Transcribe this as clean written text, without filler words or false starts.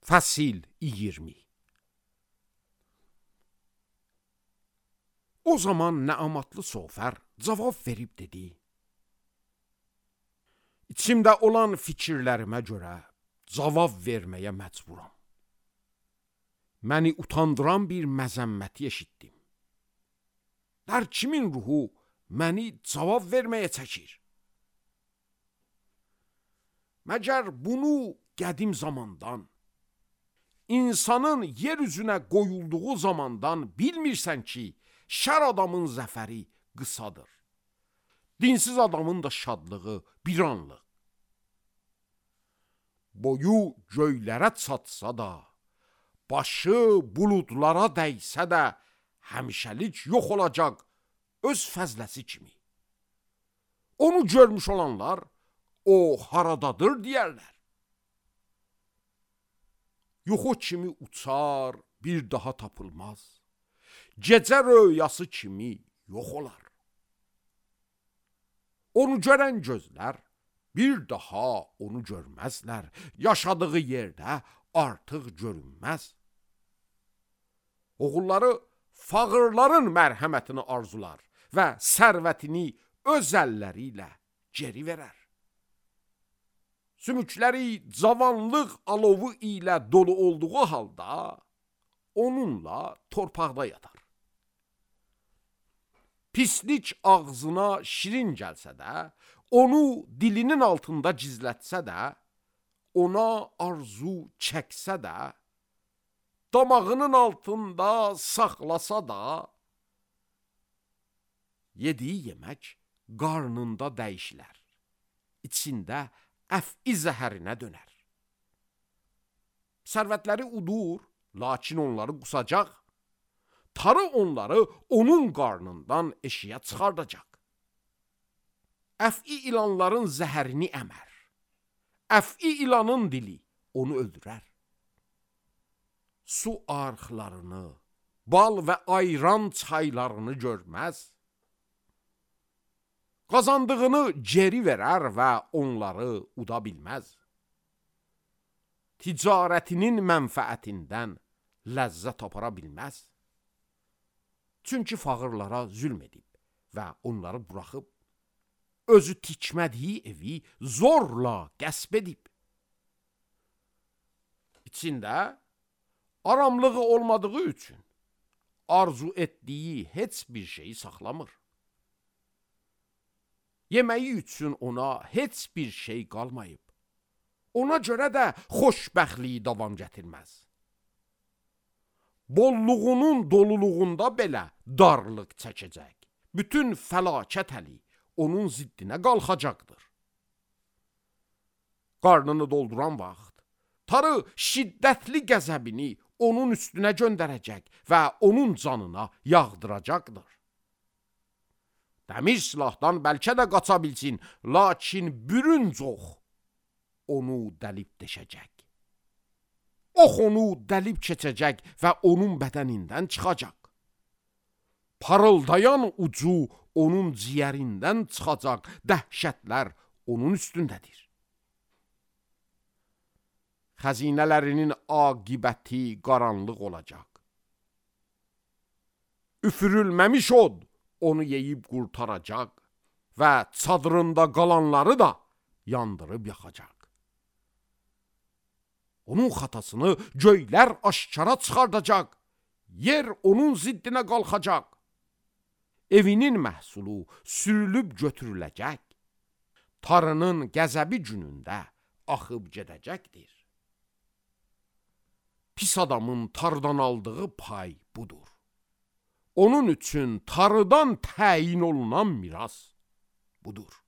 Fəsil 20. O zaman Nəamatlı Sofər cavab verib dedi: İçimdə olan fikirlərimə görə cavab verməyə məcburam. Məni utandıran bir məzəmməti eşitdim. Hər kimin ruhu məni cavab verməyə çəkir? Məgər bunu qədim zamandan, insanın yer üzünə qoyulduğu zamandan bilmirsən ki, şər adamın zəfəri qısadır, dinsiz adamın da şadlığı bir anlıq. Boyu göylərə çatsa da, başı buludlara dəysə də, həmişəlik yox olacaq öz fəzləsi kimi. Onu görmüş olanlar, o haradadır deyərlər. Yuxu kimi uçar, bir daha tapılmaz. Gecə röyası kimi yox olar. Onu görən gözlər bir daha onu görməzlər. Yaşadığı yerdə artıq görünməz. Oğulları fağırların mərhəmətini arzular və sərvətini öz əlləri ilə geri verər. Sümükləri cavanlıq alovu ilə dolu olduğu halda onunla torpaqda yatar. Pislik ağzına şirin gəlsə də, onu dilinin altında gizlətsə də, ona arzu çəksə də, damağının altında saxlasa da, yediyi yemək qarnında dəyişilər, içində əf'i zəhərinə dönər. Sərvətləri udur, lakin onları qusacaq. Tarı onları onun qarnından eşiyə çıxardacaq. Əf'i ilanların zəhərini əmər. Əf'i ilanın dili onu öldürər. Su arxlarını, bal və ayran çaylarını görməz. Qazandığını geri verər və onları uda bilməz. Ticarətinin mənfəətindən ləzzət apara bilməz. Çünki fağırlara zülm edib və onları buraxıb, özü tikmədiyi evi zorla qəsb edib. İçində aramlığı olmadığı üçün arzu etdiyi heç bir şeyi saxlamır. Yeməyi üçün ona heç bir şey qalmayıb. Ona görə də xoşbəxtliyi davam gətirməz. Bolluğunun doluluğunda belə darlıq çəkəcək. Bütün fəlakət əli onun ziddinə qalxacaqdır. Qarnını dolduran vaxt, tarı şiddətli qəzəbini onun üstünə göndərəcək və onun canına yağdıracaqdır. Dəmir silahdan bəlkə də qaça bilsin, lakin bürünc ox onu dəlib deşəcək. Ox onu dəlib keçəcək və onun bədənindən çıxacaq. Parıldayan ucu onun ciyərindən çıxacaq, dəhşətlər onun üstündədir. Xəzinələrinin aqibəti qaranlıq olacaq. Üfürülməmiş od onu yeyib qurtaracaq və çadırında qalanları da yandırıb yaxacaq. Onun xatasını göylər aşkara çıxardacaq, yer onun ziddinə qalxacaq. Evinin məhsulu sürülüb götürüləcək, tarının qəzəbi günündə axıb gedəcəkdir. Pis adamın tarıdan aldığı pay budur. Onun üçün tarıdan təyin olunan miras budur.